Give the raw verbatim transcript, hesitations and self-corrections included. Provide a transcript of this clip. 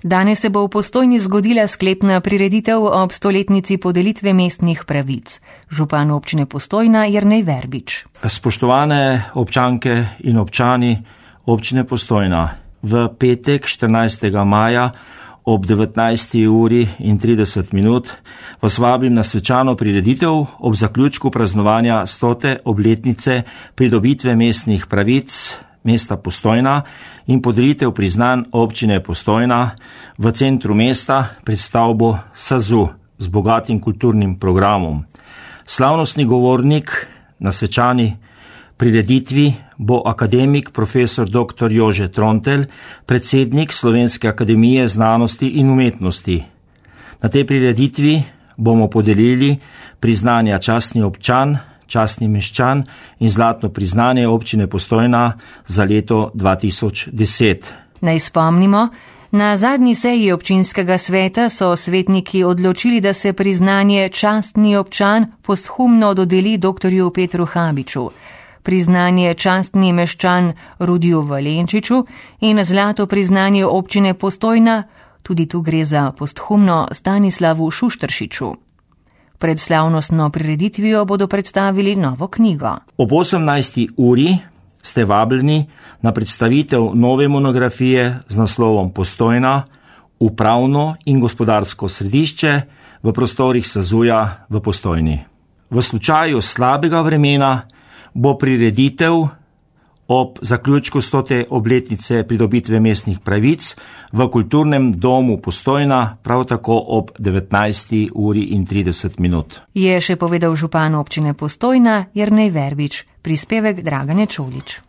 Danes se bo v Postojni zgodila sklepna prireditev ob stoletnici podelitve mestnih pravic. Župan občine Postojna Jernej Verbič. Spoštovane občanke in občani občine Postojna, v petek štirinajstega maja ob devetnajsti uri in trideset minut vas vabim na svečano prireditev ob zaključku praznovanja stote obletnice pridobitve mestnih pravic mesta Postojna in podelitev priznanj občine Postojna v centru mesta pred stavbo SAZU z bogatim kulturnim programom. Slavnostni govornik na svečani prireditvi bo akademik profesor doktor Jože Trontelj, predsednik Slovenske akademije znanosti in umetnosti. Na tej prireditvi bomo podelili priznanja častni občan, častni meščan in zlatno priznanje občine Postojna za leto dva tisoč deset. Naj spomnimo, na zadnji seji občinskega sveta so svetniki odločili, da se priznanje častni občan posthumno dodeli doktorju Petru Habiču, priznanje častni meščan Rudiju Valenčiču in zlato priznanje občine Postojna, tudi tu gre za posthumno, Stanislavu Šušteršiču. Pred slavnostno prireditvijo bodo predstavili novo knjigo. Ob osemnajsti uri ste vabljeni na predstavitev nove monografije z naslovom Postojna, upravno in gospodarsko središče v prostorih SAZU-ja v Postojni. V slučaju slabega vremena bo prireditev ob zaključku stote obletnice pridobitve mestnih pravic v kulturnem domu Postojna prav tako ob devetnajsti uri in trideset minut. Je še povedal župan občine Postojna Jernej Verbič, prispevek Dragane Čolič.